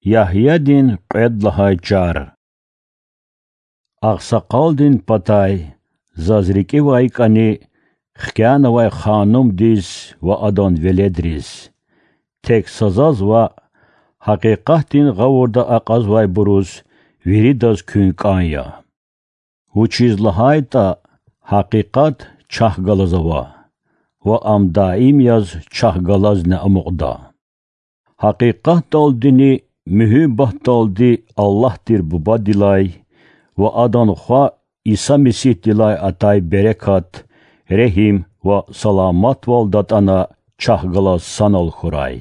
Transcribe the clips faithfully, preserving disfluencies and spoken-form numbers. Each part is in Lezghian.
Ягьядин кьвед лагьай чар. Агъсакъалдин патай заз рикӀивай кӀани хкянавай ханумдиз ва адан веледриз, тек са заз ваъ, гьакъикъатдин гъавурда акьазвайбуруз виридаз куьн кӀан я. Вучиз лагьайтӀа гьакъикъат чахъ галаз ава, ва ам даим яз чахъ галазни амукьда. Гьакъикъатдалдини муьгьуьббатдалди Аллагь тир Бубадилай ва Адан Хва Иса Месигьдилай атай берекат, регьим ва саламатвал датӀана чахъ галаз санал хьурай.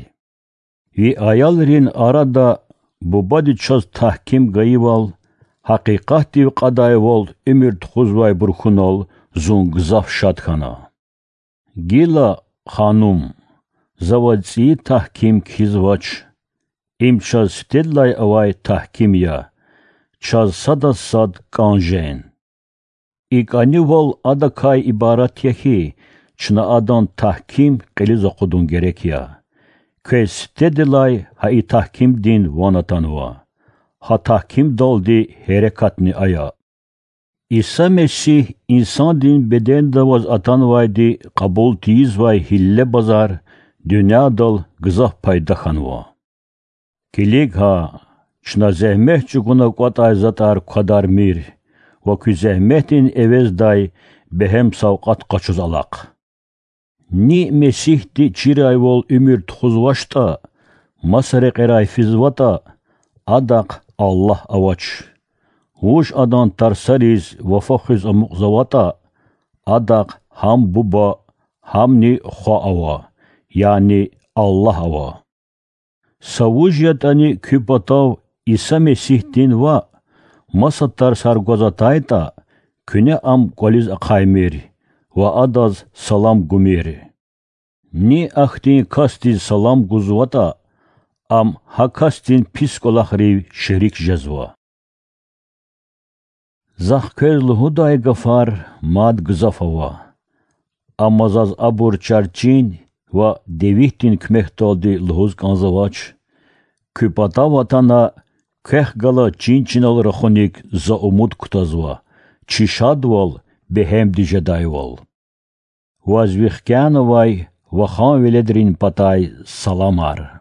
Ви аялрин арада Бубади чаз тагьким гайивал, гьакъикъатдив кьадайвал уьмуьр тухузвайбур хьунал зун гзаф шад хьана. Гила, ханум, за ваз цӀийи тагьким кхьизвач. Им чаз сифтедилай авай тагьким я, чаз садаз сад кӀан жен. И кӀанивал адакай ибарат я хьи, чна адан тагьким кьилиз акъудун герек я. Квез сифтедилай гьа и тагькимдин ван атанва. Гьа тагькимдалди гьерекатни ая. Иса Месигь инсандин беденда аваз атанвайди кьабул тийизвай гьилле-базар дуьньядал гзаф пайда хьанва. Килиг гьа, чна зегьмет чӀугуна кӀватӀай затӀар квадармир ва куь зегьметдин эвездай бегьем савкьват къачуз алахъ. Ни Месигьди чирайвал уьмуьр тухузвачтӀа, маса рекьерай физватӀа, адахъ Аллагь авач. Вуж Адан тарсариз вафа хуьз амукьзаватӀа, адахъ гьам Буба, гьамни Хва ава, яни Аллагь ава. Са вуж ятӀани куь патав Иса Месигьдин ваъ, маса тарсар гваз атайтӀа, куьне ам кӀвализ ахъаймир ва адаз салам гумир. Ни ахьтин касдиз салам гузватӀа, ам гьа касдин пис кӀвалахрив шерик жезва. Захъ квез лугьудай гафар мад гзаф ава, амма заз абур чарчин ва девитдин куьмекдалди лугьуз кӀанзавач. Куь патав атана, квехъ гала чин-чинал рахуник за умуд кутазва, чи шадвал бегьемди жедайвал. Ваз ви хкянавай вахан веледрин патай саламар.